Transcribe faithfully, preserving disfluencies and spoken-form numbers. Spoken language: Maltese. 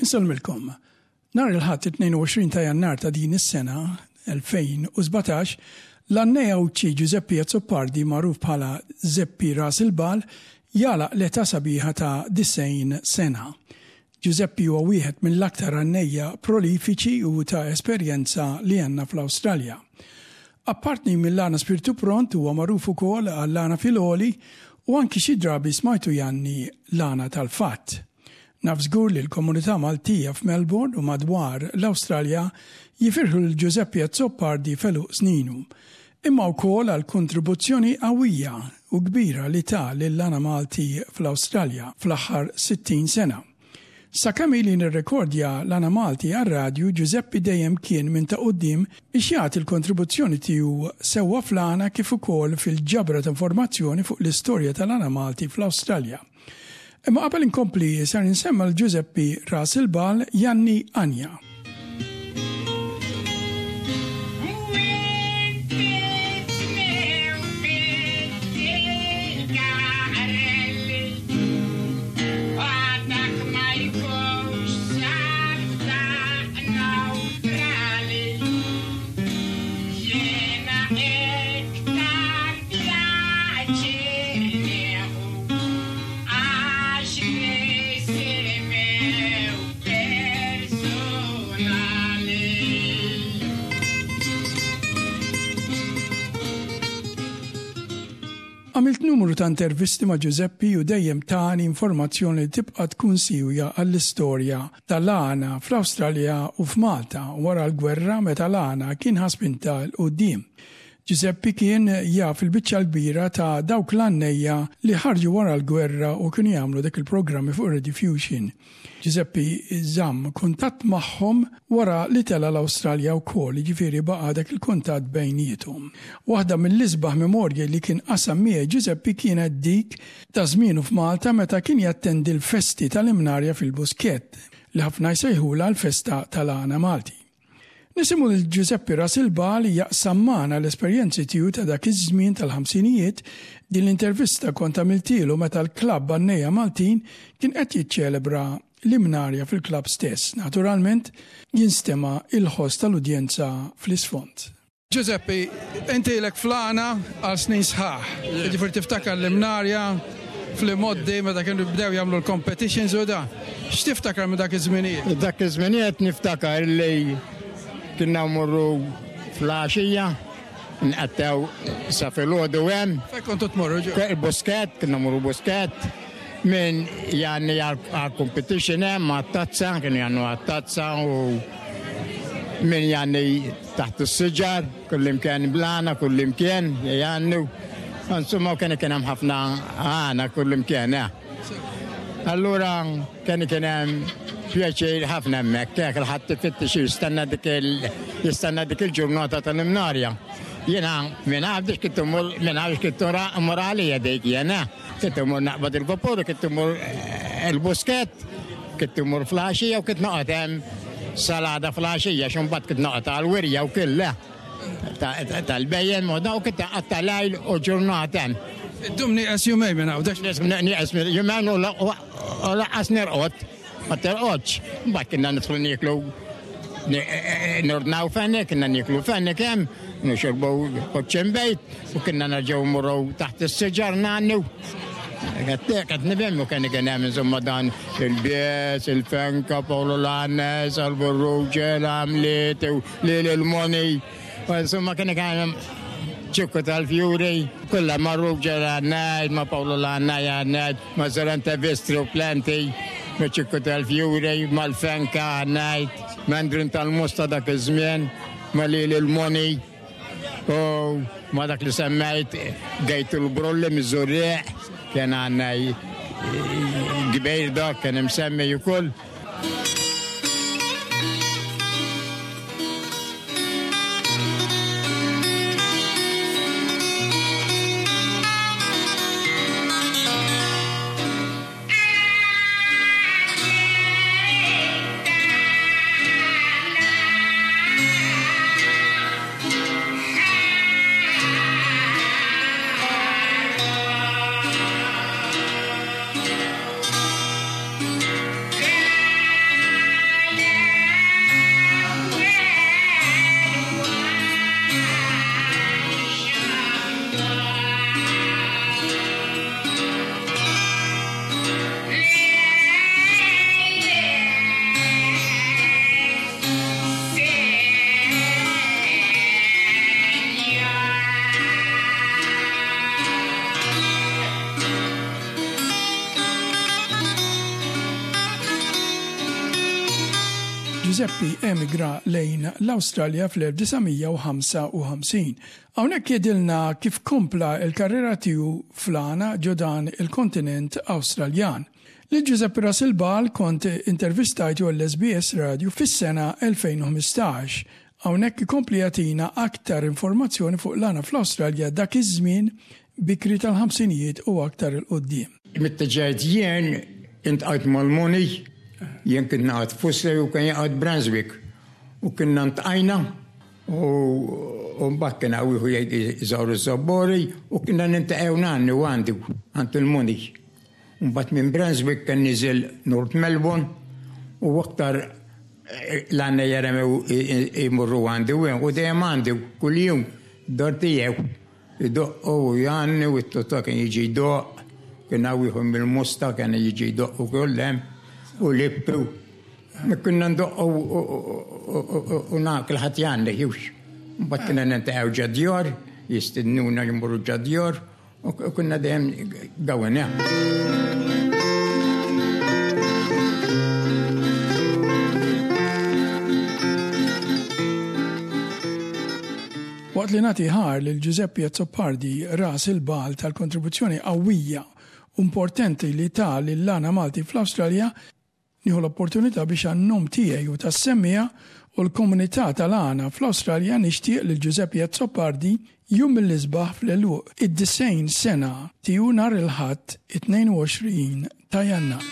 Insellmilkom. Nhar il-Ħadd it-tnejn u għoxrin ta' Jannar ta' din is-sena elfejn u sbatax, l-għannej Għawdxi Giuseppe Azzopardi, magħruf bħala Zeppi Ras il-Bal, jagħlaq l-età sabiħa ta' disgħin sena. Giuseppe huwa wieħed mill-aktar għannejja prolifiċi u ta' esperjenza li għandna fl-Awstralja. Apparti mill-għana Spirtu Pront, huwa magħruf ukoll għall-għana fil-għoli u anki xi drabi smajtu jgħanni l-għana tal-fatt. Naf żgur li l-komunità Maltija f'Melbourne u madwar l-Awstralja jifirħu lil Giuseppe Azzopardi f'għeluq sninu, imma wkoll għal kontribuzzjoni qawwija u kbira li ta lill-għana Malti fl-Awstralja fl-aħħar sittin sena. Sakemm ili nirrekordja l-għana Malti għar-radju, Giuseppe dejjem kien minn ta' quddiem biex jagħti l-kontribuzzjoni tiegħu sewwa fl-għana kif ukoll fil-ġabra ta' informazzjoni fuq l-istorja tal-għana Malti fl-Awstralja. Imma qabel inkompli, sar insemma lil Giuseppe Ras il-Bal jgħanni għanja. Għamilt numru ta' intervisti ma' Giuseppe u dejjem tani informazzjoni li tibqa' tkun siwja għall-istorja tal-għana fl-Awstralja u f'Malta wara l-gwerra, meta l-għana kien ħa spinta 'l quddiem. Giuseppe kien jaf il-biċċa l-kbira ta' dawk l-għannejja li ħarġu wara l-gwerra u kienu jagħmlu dak il-programmi fuq Rediffusion. Giuseppe żamm kuntatt magħhom wara li tela l-Awstralja wkoll, jiġifieri baqa' dak il-kuntatt bejniethom. Waħda mill-isbaħ memorji li kien qasam miegħi Giuseppe kienet dik ta' żmienu f'Malta, meta kien jattendi l-festi tal-Imnarja fil-Buskett, li ħafna jsejħula l-festa tal-għana Malti. Nisimgħu lil Giuseppe Ras il-Bal jaqsam magħna l-esperjenzi tiegħu ta' dak iż-żmien tal-ħamsinijiet. Din l-intervista kont għamiltielu meta l-klabb Għannejja Maltin kien qed jiċċelebra l-Imnarja fil-klabb stess. Naturalment, jinstema' il-ħoss tal-udjenza fl-isfond. Giuseppe, inti ilek fl-għana għal snin sħaħ. Ġifieri tiftakar l-Imnarja fl-imgħoddi meta kienu bdew jagħmlu l-competitions u da. X'tiftakar minn dak iż-żminijiet? Dak iż-żminijiet niftakar li kienna mmorru filgħaxija, nqattgħu sa filgħodu hemm. Fejn kontu tmorru ġo? Il-Buskett, kienna mmorru Buskett, min jgħanni għal competition hemm għat-tazza, kienu jgħannu għat-tazza u min jgħanni taħt is-siġar, kullimkien bl-għana, kullimkien jgħannu. Insomma, kien kien hemm ħafna għana kullimkien, eh. Allura kien kien hemm pjaċir ħafna hemmhekk, kien kulħadd ifittex jistenna dik il jistenna dik il-ġurnata tal-Imnarja. Jiena minn Għawdex kont immur minn Għawdex kont immur għalija dik jiena. Kont immur naqbad il-vapur, kont immur eh, il-Buskett, kont immur filgħaxija u kont noqgħod hemm sal-għada filgħaxija, x'imbagħad kont noqgħod għal-wirja u kollha tal-bhejjem u daw, kont nqatta' lejl u ġurnata hemm. Iddum nieqes jumejn minn Għawdex. Nieqes jumejn u lanqas nirqod, ma terqodx. Mbagħad kienna nidħlu nieklu, nordnaw fenek, kienna nieklu fenek hemm, nixorbu koċċembejt u kienna nerġgħu mmorru taħt is-siġar ngħannu. Qed nifhem u kien kien hemm insomma dan il-Bies, il-Fenka, Paolo Lannes, Alborruġe, l-Għamliet, lil il-Moni. Insomma, kien kien Ċikku tal-Fjuri, kollha marru ġera għannajt, ma Paolo Lannaj għannajt, ma Zorante Vistri u Plenty, ma Ċikku tal-Fjuri, ma l-Fenka għannajt, ma Andrin tal-Musta dak iż-żmien, ma lil il-Moni, u ma dak li semmejt Gejtu l-Brulli miż-Żurrieq, kien għannaj kbir dak, kien imsemmi ukoll. Yeah. Ġużeppi emigra lejn l-Awstralja fl-elf disa' mija u ħamsa u ħamsin. Hawnhekk jgħidilna kif kompla il-karriera tiegħu fl-għana ġo dan il-kontinent Awstraljan. Lil Giuseppe Rasilbal kont intervistajtu l-S B S Radio fis-sena elfejn u ħmistax. Hawnhekk ikompli jagħtina aktar informazzjoni fuq l-għana fl-Awstralja dak iż-żmien bikri tal-ħamsinijiet u aktar 'il quddiem. Meta ġejt jien, iltqajt mal-Muni, jien kien noqgħod Footscray u kien joqgħod Brunswick. U kienna ltqajna u u mbagħad kien hawn wieħed jgħid iżawru Żabbori u kienna niltaqgħu ngħannu għandu għand il-Muni. Mbagħad minn Brunswick kien niżel North Melbourne u aktar eh, l-għanna jaremew imurru għandu u dejjem għandu kull-jum dar tiegħu. Idoqqu u jgħanni u t-tota kien jiġi jdoqq, kien hawn ieħor mill-Mosta kien jiġi jdoqq u kollem u Lippu. Kunna ndoqqu u kulħadd jgħanni, jux. Mbagħad kienna niltaqgħu ġad-djar, jistednuna jmurru ġad-djar u kunna dejjem gawena. Waqt li nagħti ħajr lil Giuseppe Azzopardi Ras il-Bagħal tal-kontribuzzjoni qawwija u importanti li ta lill-għana Malti fl-Awstralja, nieħu l-opportunità biex għan-nom tiegħi u tas-semmiegħa u l-komunità tal-għana fl-Awstralja nixtieq lil Giuseppe Azzopardi jum mill-isbaħ fl-għeluq id-disgħin sena tiegħu nhar il-Ħadd it-tnejn u għoxrin ta' Jannar.